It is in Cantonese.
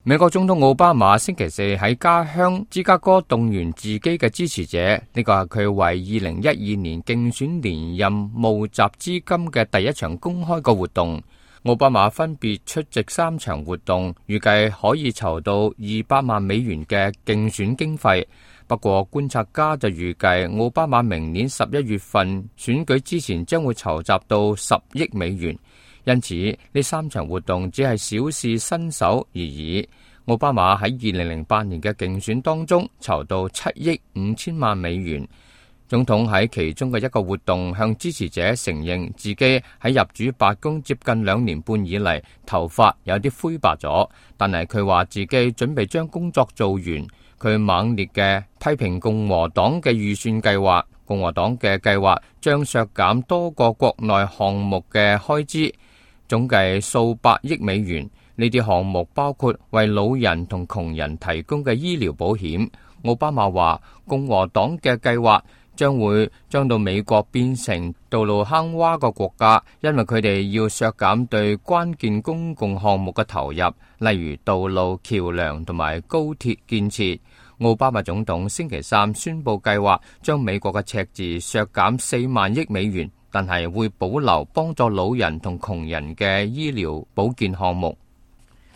美國總統奧巴馬星期四喺家鄉芝加哥動員自己嘅支持者，呢個係佢為2012年競選連任募集資金嘅第一場公開嘅活動。奧巴馬分別出席3場活動，預計可以籌到200萬美元嘅競選經費。不過觀察家就預計奧巴馬明年11月份選舉之前將會籌集到10億美元。因此呢3場活動只係小試身手而已。奧巴馬喺2008年嘅競選當中籌到7億5千萬美元。總統喺其中嘅一個活動向支持者承認自己喺入主白宮接近2年半以嚟，頭髮有啲灰白咗，但係佢話自己準備將工作做完。佢猛烈嘅批評共和黨嘅預算計劃，共和黨嘅計劃將削減多個國內項目嘅開支，總計數百億美元。呢啲項目包括為老人同窮人提供嘅醫療保險。奧巴馬話，共和黨嘅計劃將到美國變成道路坑洼個國家，因為佢哋要削減對關鍵公共項目嘅投入，例如道路、橋樑同埋高鐵建設。奧巴馬總統星期三宣布計劃將美國嘅赤字削減4萬億美元，但係會保留幫助老人同窮人嘅醫療保健項目。